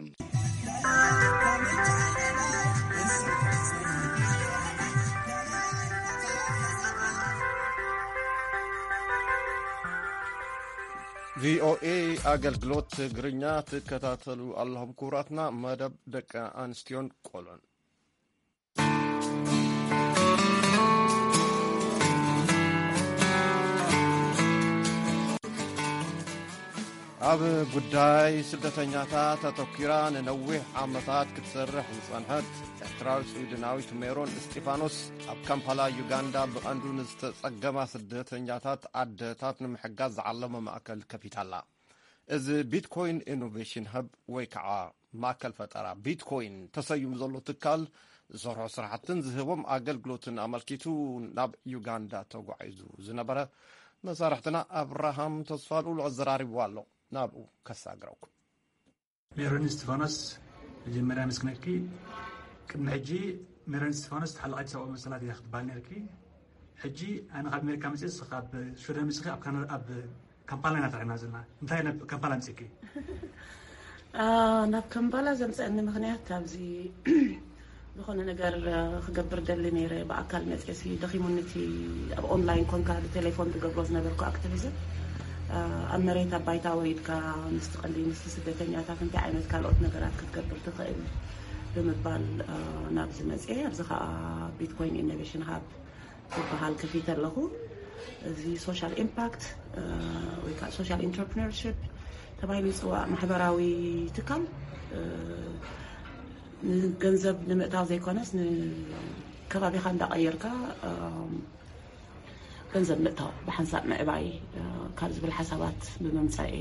ቪኦኤ ኣገልግሎት ትግርኛ ትከታተሉ ኣለኹም ክቡራትና። መደብ ደቂ ኣንስትዮን ቆልዑን። ኣብ ጉዳይ ስደተኛታት ኣተኲራ ንነዊሕ ዓመታት ክትሰርሕ ዝጸንሐት ኤርትራዊት ስዊድናዊት ሜሮን እስጢፋኖስ ኣብ ካምፓላ ዩጋንዳ ብቐንዱ ንዝተጸገማ ስደተኛታት ኣደታት ንምሕጋዝ ዝዓለመ ማእከል ከፊታ ኣላ። እዚ ቢትኮይን ኢኖቬሽን ሀብ ወይ ከዓ ማእከል ፈጠራ ቢትኮይን ተሰይሙ ዘሎ ትካል ዝሰርሖ ስራሕትን ዝህቦም ኣገልግሎትን ኣመልኪቱ ናብ ዩጋንዳ ተጓዒዙ ዝነበረ መሳርሕትና ኣብርሃም ተስፋልኡል ኣዘራሪብዎ ኣሎ። ናብኡ ከሳግረኩም። ሜሮን እስቲፋኖስ፣ መጀመርያ ኣመስግነኪ። ቅድሚ ሕጂ ሜሮን እስቲፋኖስ ተሓላቒት ሰብኣዊ መሰላት እያ ክትበሃል ነርኪ። ሕጂ ኣነ ካብ ኣሜሪካ መፅእ፣ ንስኺ ካብ ሽወደን መፅእኺ ኣብ ካናዳ፣ ኣብ ካምፓላ ኢና ተረኺብና ዘለና። እንታይ ናብ ካምፓላ ኣምፅእኪ? ኣ፣ ናብ ካምፓላ ዘምፀአኒ ምኽንያት ኣብዚ ዝኾነ ነገር ክገብር ደሊ ነይረ። ብኣካል መፅእሲ ደኺሙኒ እቲ ኣብ ኦንላይን ኮንካ ብቴሌፎን ትገብሮ ዝነበርኩ ኣክቲቪዝም። ኣብ መሬት ኣብ ባይታ ወሪድካ ምስቲ ቀንዲ ምስቲ ስደተኛታት እንታይ ዓይነት ካልኦት ነገራት ክትገብር ትኽእል ብምባል ናብዚ መፅየ። ኣብዚ ከዓ ቢትኮይን ኢኖቬሽን ሃብ ዝበሃል ከፊተ ኣለኹ። እዚ ሶሻል ኢምፓክት ወይ ከዓ ሶሻል ኢንተርፕረነርሽፕ ተባሂሉ ይፅዋዕ። ማሕበራዊ ትካል ንገንዘብ ንምእታው ዘይኮነስ ንከባቢኻ እንዳቐየርካ ገንዘብ ምእታው ብሓንሳብ ምዕባይ ካብ ዝብል ሓሳባት ብምምፃእ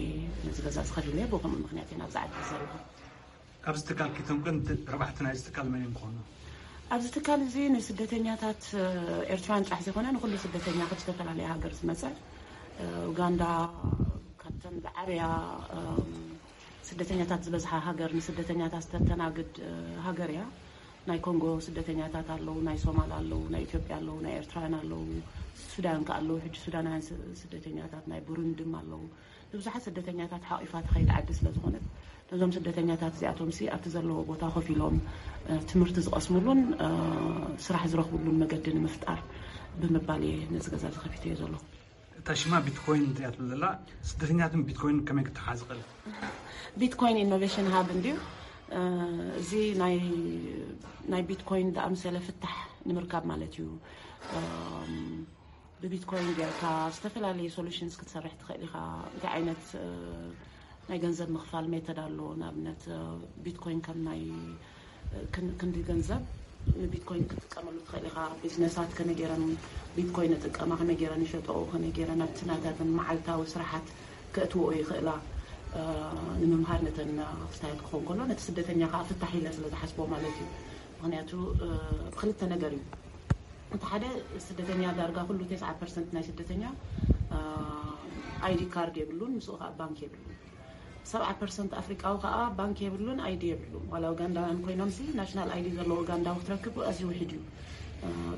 ነዚ ገዛ ዝኸፊለ ብከምኡ ምክንያት ኢና ኣብዚ ዓዲ ዘለኹ። ኣብዚ ትካል ኪቶም ቀንዲ ረባሕቲ ናይዚ ትካል መን እዮም ክኾኑ? ኣብዚ ትካል እዚ ንስደተኛታት ኤርትራውያን ጥራሕ ዘይኮነ ንኩሉ ስደተኛ ካብ ዝተፈላለየ ሃገር ዝመፀ ኡጋንዳ ካብተን ዝዓበያ ስደተኛታት ዝበዝሓ ሃገር ንስደተኛታት ዝተተናግድ ሃገር እያ። ናይ ኮንጎ ስደተኛታት ኣለዉ፣ ናይ ሶማል ኣለዉ፣ ናይ ኢትዮጵያ ኣለዉ፣ ናይ ኤርትራውያን ኣለዉ፣ ሱዳን ከ ኣለዉ። ሕጂ ሱዳናውያን ስደተኛታት ናይ ቡሩንድም ኣለዉ። ንብዙሓት ስደተኛታት ሓቂፋ ትኸይድ ዓዲ ስለ ዝኾነት ነዞም ስደተኛታት እዚኣቶም ሲ ኣብቲ ዘለዎ ቦታ ኮፍ ኢሎም ትምህርቲ ዝቐስሙሉን ስራሕ ዝረኽብሉን መገዲ ንምፍጣር ብምባል እየ ነዚ ገዛ ዝኸፊተዮ ዘለኹ። እታ ሽማ ቢትኮይን እያ ትብል ዘላ ስደተኛትን ቢትኮይን ከመይ ክተሓዝ ይኽእል? ቢትኮይን ኢኖቬሽን ሃብ እንድዩ። እዚ ናይ ቢትኮይን ዝኣምሰለ ፍታሕ ንምርካብ ማለት እዩ። ብቢትኮይን ጌርካ ዝተፈላለዩ ሶሉሽንስ ክትሰርሕ ትኽእል ኢኻ። እንታይ ዓይነት ናይ ገንዘብ ምኽፋል ሜተድ ኣሎ። ንኣብነት ቢትኮይን ከም ናይ ክንዲ ገንዘብ ንቢትኮይን ክትጥቀመሉ ትኽእል ኢኻ። ቢዝነሳት ከመይ ገይረን ቢትኮይን ይጥቀማ፣ ከመይ ገይረን ይሸጠኦ፣ ከመይ ገይረን ኣብቲ ናታተን መዓልታዊ ስራሓት ከእትወኦ ይኽእላ ንምምሃር ነተን ክስታያት ክኸውን ከሎ ነቲ ስደተኛ ከዓ ፍታሕ ኢለ ስለ ዝሓስቦ ማለት እዩ። ምክንያቱ ብክልተ ነገር እዩ። እቲ ሓደ ስደተኛ ዳርጋ ኩሉ ተስዓ ፐርሰንት ናይ ስደተኛ ኣይዲ ካርድ የብሉን፣ ምስኡ ከዓ ባንክ የብሉን። ሰብዓ ፐርሰንት ኣፍሪቃዊ ከዓ ባንክ የብሉን፣ ኣይዲ የብሉን። ዋላ ኡጋንዳውያን ኮይኖም ሲ ናሽናል ኣይዲ ዘለዎ ኡጋንዳዊ ክትረክብ ኣዝዩ ውሕድ እዩ።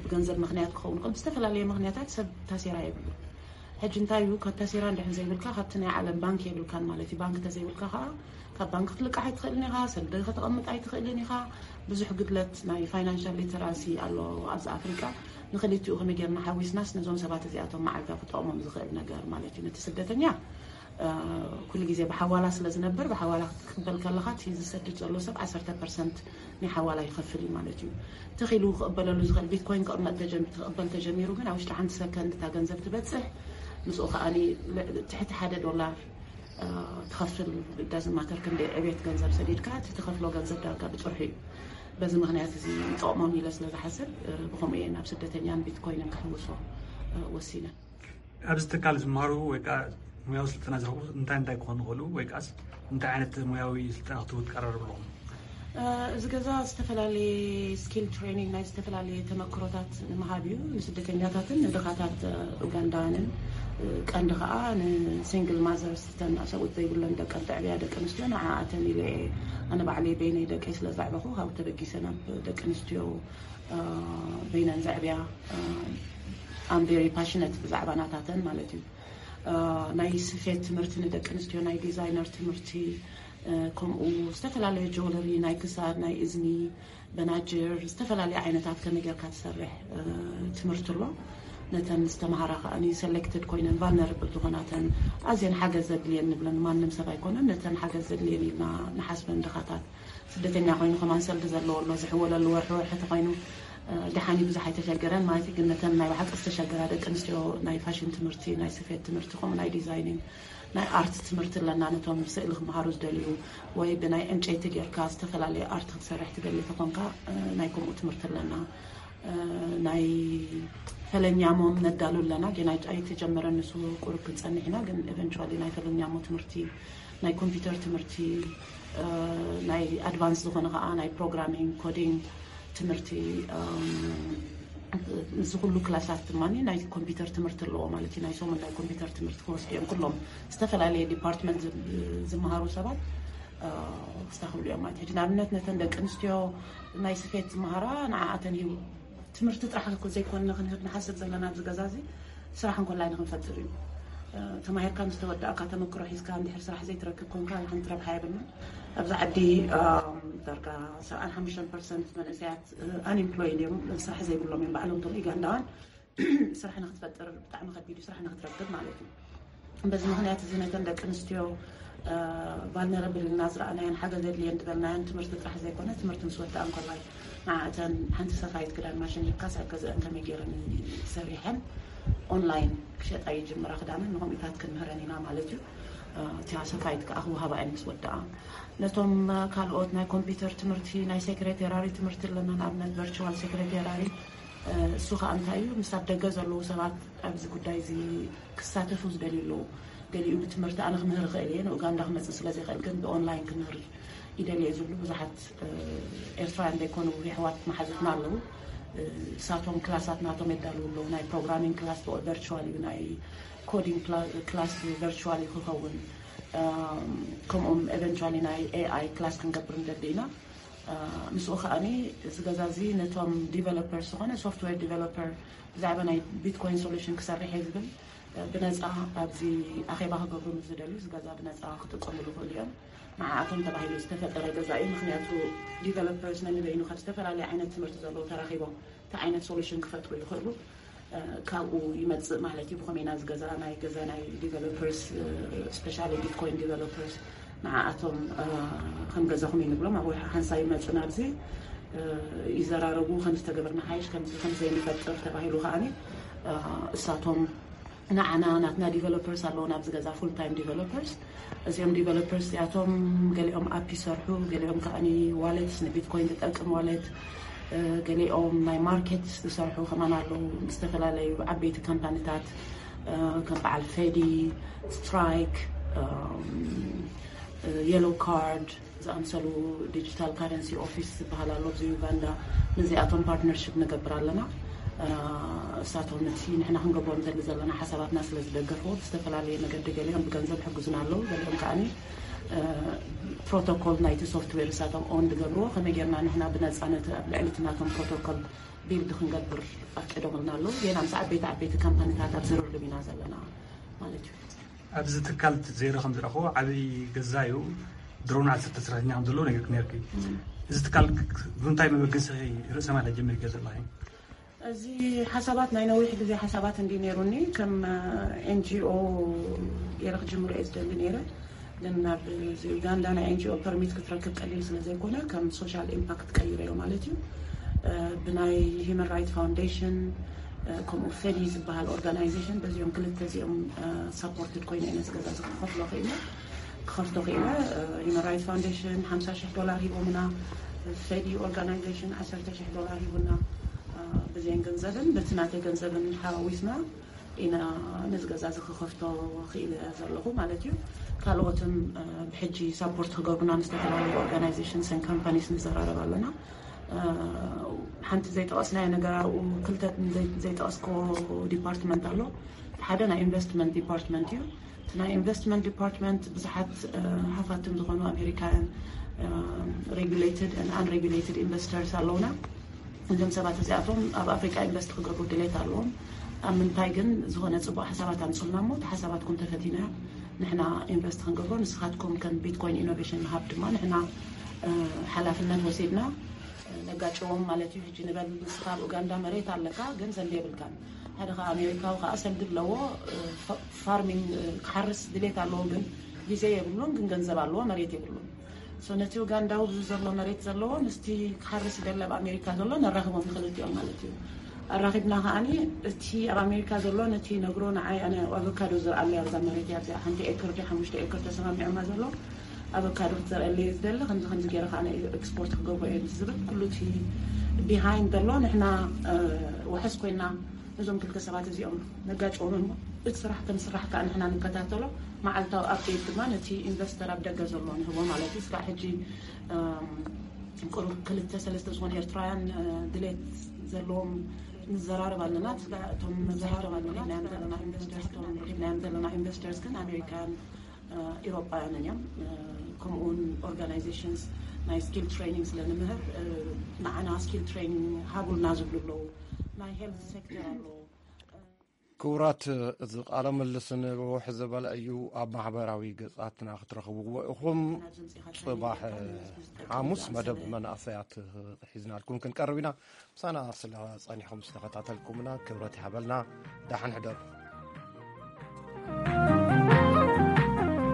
ብገንዘብ ምክንያት ክኸውን ይኽእል፣ ብዝተፈላለየ ምክንያታት ሰብ ታሴራ የብሉን። ሕጂ እንታይ እዩ ካብ ታሴራ እንድሕን ዘይብልካ ካብቲ ናይ ዓለም ባንክ የብልካን ማለት እዩ። ባንክ ተዘይብልካ ከዓ ካብ ባንክ ክትልቃሕ ኣይትኽእልን ኢኻ፣ ሰልዲ ከተቐምጥ ኣይትኽእልን ኢኻ። ብዙሕ ግድለት ናይ ፋይናንሻል ሊተራሲ ኣሎ ኣብዚ ኣፍሪቃ። ንክልቲኡ ከመይ ጌርና ሓዊስናስ ነዞም ሰባት እዚኣቶም መዓልታ ክጠቕሞም ዝኽእል ነገር ማለት እዩ። ነቲ ስደተኛ ኩሉ ግዜ ብሓዋላ ስለ ዝነብር ብሓዋላ ክትቅበል ከለኻ እቲ ዝሰድድ ዘሎ ሰብ ዓሰርተ ፐርሰንት ናይ ሓዋላ ይኸፍል እዩ ማለት እዩ። ተኺሉ ክቕበለሉ ዝኽእል ቢትኮይን ክቕበል ተጀሚሩ ግን ኣብ ውሽጢ ሓንቲ ሰከንድ እታ ገንዘብ ትበፅሕ። ምስኡ ከዓ ትሕቲ ሓደ ዶላር ትኸፍል። ዳዝማተር ክንደይ ዕቤት ገንዘብ ሰዲድካ እቲ ትኸፍሎ ገንዘብ ዳርጋ ብፅርሑ እዩ። በዚ ምክንያት እዚ ይጠቕሞም ኢለ ስለ ዝሓስብ ብከምኡ እየ ናብ ስደተኛን ቢትኮይንን ክሕውሶ ወሲነ። ኣብዚ ትካል ዝመሃሩ ወይ ከዓ ሙያዊ ስልጠና ዝረኽቡ እንታይ እንታይ ክኾኑ ይኽእሉ ወይ ከዓስ እንታይ ዓይነት ሙያዊ ስልጠና ክትህቡ ትቀራረቡ ኣለኹም? እዚ ገዛ ዝተፈላለየ ስኪል ትሬኒንግ ናይ ዝተፈላለየ ተመክሮታት ንምሃብ እዩ ንስደተኛታትን ንድኻታት ኡጋንዳውያንን ቀንዲ ከዓ ንሲንግል ማዘርስ ተን ሰብኡት ዘይብለን ደቀን ተዕብያ ደቂ ኣንስትዮ ንዓኣተን ኢለ ኣነ ባዕለይ በይነይ ደቀይ ስለ ዘዕበኹ ካብ ተበጊሰ ናብ ደቂ ኣንስትዮ በይነን ዘዕብያ ኣም ቨሪ ፓሽነት ብዛዕባ ናታተን ማለት እዩ። ናይ ስፌት ትምህርቲ ንደቂ ኣንስትዮ ናይ ዲዛይነር ትምህርቲ ከምኡ ዝተፈላለዩ ጆለሪ ናይ ክሳድ ናይ እዝኒ በናጅር ዝተፈላለዩ ዓይነታት ከመይ ጌርካ ትሰርሕ ትምህርቲ ኣሎ። ነተን ዝተምሃራ ከዓ ሰሌክትድ ኮይነን ቫልነርብል ዝኾናተን ኣዝየን ሓገዝ ዘድልየን ንብለን ማንም ሰብ ኣይኮነን ነተን ሓገዝ ዘድልየን ኢልና ንሓስበን ድኻታት ስደተኛ ኮይኑ ከማን ሰልዲ ዘለዎ ኣሎ ዝሕወለሉ ወርሒ ወርሒ ተኮይኑ ደሓኒ ብዙሕ ኣይተሸገረን ማለት ግን ነተን ናይ ብሓቂ ዝተሸገራ ደቂ ኣንስትዮ ናይ ፋሽን ትምህርቲ ናይ ስፌት ትምህርቲ ከምኡ ናይ ዲዛይኒንግ ናይ ኣርት ትምህርቲ ኣለና ነቶም ስእሊ ክመሃሩ ዝደልዩ ወይ ብናይ ዕንጨይቲ ጌርካ ዝተፈላለየ ኣርት ክትሰርሕ ትደሊ ተኮንካ ናይ ከምኡ ትምህርቲ ኣለና። ናይ ፈለኛሞ ነዳሉ ኣለና ግን ኣይተጀመረን ንሱ ቁሩብ ክንፀንሕ ኢና ግን eventually ናይ ፈለኛሞ ትምህርቲ ናይ ኮምፒውተር ትምህርቲ ናይ ኣድቫንስ ዝኾነ ከዓ ናይ ፕሮግራሚንግ ኮዲንግ ትምህርቲ እዚ ኩሉ ክላሳት ድማ ናይ ኮምፒውተር ትምህርቲ ኣለዎ ማለት እዩ ናይ ሰሙን ናይ ኮምፒውተር ትምህርቲ ክወስዱ እዮም ኩሎም ዝተፈላለየ ዲፓርትመንት ዝመሃሩ ሰባት ክስተኽብሉ እዮም ማለት እዩ ንኣብነት ነተን ደቂ ኣንስትዮ ናይ ስፌት ዝመሃራ ንዓኣተን ሂቡ ትምህርቲ ጥራሕ ዘይኮንና ክንህብ ንሓስብ ዘለና ኣብዚ ገዛ እዚ ስራሕ እንኮላይ ንክንፈጥር እዩ ተማሂርካ ምስ ተወዳእካ ተመክሮ ሒዝካ እንድሕር ስራሕ ዘይትረክብ ኮንካ ሓንቲ ረብሓ የብሉን ኣብዚ ዓዲ ዳርጋ ሰብዓን ሓሙሽተን ፐርሰንት መንእሰያት ኣንኤምፕሎይድ እዮም ስራሕ ዘይብሎም እዮም ባዕሎም እቶም ኡጋንዳውያን ስራሕ ንክትፈጥር ብጣዕሚ ከቢድ እዩ ስራሕ ንክትረክብ ማለት እዩ በዚ ምኽንያት እዚ ነተን ደቂ ኣንስትዮ ቫልነረብል ኢልና ዝረኣናየን ሓገዝ የድልየን ዝበልናየን ትምህርቲ ጥራሕ ዘይኮነ ትምህርቲ ምስ ወደኣ እንከላይ ንዓእተን ሓንቲ ሰፋይት ክዳን ማሽን ሂብካስ ኣብ ገዝአን ከመይ ገይረን ሰሪሐን ኦንላይን ክሸጣ ይጅምራ ክዳነን ንኸምኡታት ክንምህረን ኢና ማለት እዩ። እቲያ ሰፋይት ከዓ ክወሃባ እየን ምስ ወደኣ። ነቶም ካልኦት ናይ ኮምፒውተር ትምህርቲ ናይ ሴክሬቴራሪ ትምህርቲ ኣለና ንኣብነት ቨርቹዋል ሴክሬቴራሪ እሱ ከዓ እንታይ እዩ ምስ ኣብ ደገ ዘለዉ ሰባት ኣብዚ ጉዳይ እዚ ክሳተፉ ዝደልዩ ኣለዉ። ገሊኡ ብትምህርቲ ኣነ ክምህር ይኽእል እየ ንኡጋንዳ ክመፅእ ስለ ዘይኽእል ግን ብኦንላይን ክምህር ይደልየ ዝብሉ ብዙሓት ኤርትራውያን ዘይኮኑ የሕዋት መሓዙትና ኣለዉ። እሳቶም ክላሳት ናቶም የዳልዉ ኣለዉ ናይ ፕሮግራሚንግ ክላስ ቨርቹዋል እዩ ናይ ኮዲንግ ክላስ ቨርቹዋል እዩ ክኸውን። ከምኡም ኤቨንቹዋሊ ናይ ኤኣይ ክላስ ክንገብር ንደሊ ኢና። ምስኡ ከዓኒ እዚ ገዛ እዚ ነቶም ዲቨሎፐርስ ዝኾነ ሶፍትዌር ዲቨሎፐር ብዛዕባ ናይ ቢትኮይን ሶሉሽን ክሰርሕ እየ ዝብል ብነፃ ኣብዚ ኣኼባ ክገብሩ ምስ ዝደልዩ እዚ ገዛ ብነፃ ክጥቀምሉ ይኽእሉ እዮም። ንዓኣቶም ተባሂሉ ዝተፈጠረ ገዛ እዩ። ምክንያቱ ዲቨሎፐርስ ነንበይኑ ካብ ዝተፈላለዩ ዓይነት ትምህርቲ ዘለዉ ተራኺቦም እቲ ዓይነት ሶሉሽን ክፈጥሩ ይኽእሉ። ካብኡ ይመፅእ ማለት እዩ። ብኸመይና እዚ ገዛ ናይ ገዛ ናይ ዲቨሎፐርስ ስፔሻሊ ቢትኮይን ዲቨሎፐርስ ንዓኣቶም ከም ገዛኹም እዩ ንብሎም። ኣብ ሓንሳብ ይመፁ ናብዚ ይዘራረቡ ከም ዝተገበርና ሓይሽ ከምዚ ከም ዘይንፈጥር ተባሂሉ ከዓኒ እሳቶም ንዓና ናትና ዲቨሎፐርስ ኣለዉ ናብዚ ገዛ ፉል ታይም ዲቨሎፐርስ። እዚኦም ዲቨሎፐርስ እዚኣቶም ገሊኦም ኣፕ ይሰርሑ፣ ገሊኦም ከዓኒ ዋሌትስ ንቢትኮይን ዝጠቅም ዋሌት፣ ገሊኦም ናይ ማርኬት ዝሰርሑ ከማን ኣለዉ ዝተፈላለዩ ዓበይቲ ካምፓኒታት ከም በዓል ፌዲ፣ ስትራይክ፣ የሎ ካርድ ዝኣምሰሉ ዲጂታል ካረንሲ ኦፊስ ዝበሃል ኣሎ ኣብዚ ዩጋንዳ። ነዚኣቶም ፓርትነርሽፕ ንገብር ኣለና። እሳቶም ነቲ ንሕና ክንገብሮ ንደሊ ዘለና ሓሳባትና ስለ ዝደገፍዎ ብዝተፈላለየ መገዲ ገሊኦም ብገንዘብ ይሕግዙና ኣለዉ። ገሊኦም ከዓኒ ፕሮቶኮል ናይቲ ሶፍትዌር እሳቶም ኦን ዝገብርዎ ከመይ ጌርና ንሕና ብነፃ ነቲ ኣብ ልዕሊ እቲ ናቶም ፕሮቶኮል ቢልድ ክንገብር ኣፍቂዶምልና ኣለዉ። ጌና ምስ ዓበይቲ ዓበይቲ ካምፓኒታት ኣብ ዝርርብ ኢና ዘለና ማለት እዩ። ኣብዚ ትካል ዜሮ ከም ዝረኽቦ ዓብዪ ገዛ እዩ። ድሮን ዓሰርተ ሰራሕተኛ ከም ዘለዎ ነጊርኪ ነርኪ። እዚ ትካል ብምንታይ መበገሲ ርእሰ ማል ጀሚርኪ ዘለኺ? እዚ ሓሳባት ናይ ነዊሕ ግዜ ሓሳባት እንዲ ነይሩኒ ከም ኤንጂኦ ገይረ ክጅምሮ እየ ዝደሊ ነይረ። ግን ናብ ዩጋንዳ ናይ ኤንጂኦ ፐርሚት ክትረክብ ቀሊል ስለ ዘይኮነ ከም ሶሻል ኢምፓክት ቀይረዮ ማለት እዩ። ብናይ ሂማን ራይት ፋውንዴሽን ከምኡ ፌዲ ዝበሃል ኦርጋናይዜሽን በዚኦም ክልተ እዚኦም ሳፖርትድ ኮይነ እየ ነዚ ገዛ እዚ ክኸፍሎ ክኢለ ክኸፍቶ ክኢለ። ሂማን ራይት ፋውንዴሽን ሓምሳ ሽሕ ዶላር ሂቦምና፣ ፌዲ ኦርጋናይዜሽን ዓሰርተ ሽሕ ዶላር ሂቡና። ብዘን ገንዘብን በቲ ናተይ ገንዘብን ሓዋዊስና ኢና ነዚ ገዛ እዚ ክኸፍቶ ክኢለ ዘለኹ ማለት እዩ። ካልኦትን ብሕጂ ሳፖርት ክገብሩና ምስ ዝተፈላለዩ ኦርጋናይዜሽንስን ካምፓኒስ ንዘራረብ ኣለና። ሓንቲ ዘይጠቐስናዮ ነገር ኣብኡ ክልተ ዘይጠቐስኮ ዲፓርትመንት ኣሎ። ሓደ ናይ ኢንቨስትመንት ዲፓርትመንት እዩ። እቲ ናይ ኢንቨስትመንት ዲፓርትመንት ብዙሓት ሃፋትም ዝኾኑ ኣሜሪካውያን ሬጉሌትድ ኣንሬጉሌትድ ኢንቨስተርስ ኣለውና። እዞም ሰባት እዚኣቶም ኣብ ኣፍሪቃ ኢንቨስት ክገብሩ ድሌት ኣለዎም። ኣብ ምንታይ ግን ዝኾነ ፅቡቅ ሓሳባት ኣምፅልና እሞ እቲ ሓሳባትኩም ተፈቲና ንሕና ኢንቨስት ክንገብሮ ንስኻትኩም ከም ቢትኮይን ኢኖቬሽን ሃብ ድማ ንሕና ሓላፍነት ወሲድና ነጋጭዎም ማለት እዩ። ሕጂ ንበል ንስኻ ኣብ ኡጋንዳ መሬት ኣለካ ግን ሰልዲ የብልካን። ሓደ ከዓ ኣሜሪካዊ ከዓ ሰልዲ ኣለዎ ፋርሚንግ ክሓርስ ድሌት ኣለዎ ግን ግዜ የብሉን ግን ገንዘብ ኣለዎ መሬት የብሉን። ነቲ ኡጋንዳዊ ብዙ ዘሎ መሬት ዘለዎ ምስቲ ክሓርስ ይደሊ ኣብ ኣሜሪካ ዘሎ ነራኽቦም ንክልቲኦም ማለት እዩ። ኣራኺብና ከዓኒ እቲ ኣብ ኣሜሪካ ዘሎ ነቲ ነግሮ ንዓይ ኣነ ኣቨካዶ ዝርኣለይ ኣብዛ መሬት እያ እዚኣ ሓንቲ ኤክር ዲ ሓሙሽተ ኤክር ተሰማሚዖማ ዘሎ ኣቨካዶ ክትዘርአለይ ዝደሊ ከምዚ ከምዚ ገይረ ከዓ ኤክስፖርት ክገብሮ እየ ዝብል ኩሉ እቲ ቢሃይንድ ዘሎ ንሕና ውሕስ ኮይና ነዞም ክልተ ሰባት እዚኦም ነጋጭዎም እሞ እቲ ስራሕ ከም ስራሕ ከዓ ንሕና ንከታተሎ መዓልታዊ ኣፕዴት ድማ ነቲ ኢንቨስተር ኣብ ደገ ዘሎ ንህቦ ማለት እዩ። ስጋዕ ሕጂ ቁሩብ ክልተ ሰለስተ ዝኾነ ኤርትራውያን ድሌት ዘለዎም ንዘራረብ ኣለና። ስጋዕ እቶም መብዛሕቶም ኣለና ናዮም ዘለና ኢንቨስተርስ እቶም ረኪብናዮም ዘለና ኢንቨስተርስ ግን ኣሜሪካውያን ኢሮጳውያንን እዮም። ከምኡውን ኦርጋናይዜሽንስ ናይ ስኪል ትሬኒንግ ስለ ንምህር ንዓና ስኪል ትሬኒንግ ሃቡልና ዝብሉ ኣለዉ። ናይ ሄልት ሴክተር ኣለዉ። ክቡራት፣ እዚ ቃለ ምልልስ ንውሕ ዝበለ እዩ። ኣብ ማሕበራዊ ገጻትና ክትረኽብዎ ኢኹም። ጽባሕ ሓሙስ መደብ መናእሰያት ሒዝናልኩም ክንቀርብ ኢና። ምሳና ስለ ጸኒሕኩም ዝተኸታተልኩምና ክብረት ይሃበልና። ደሓን ሕደሩ።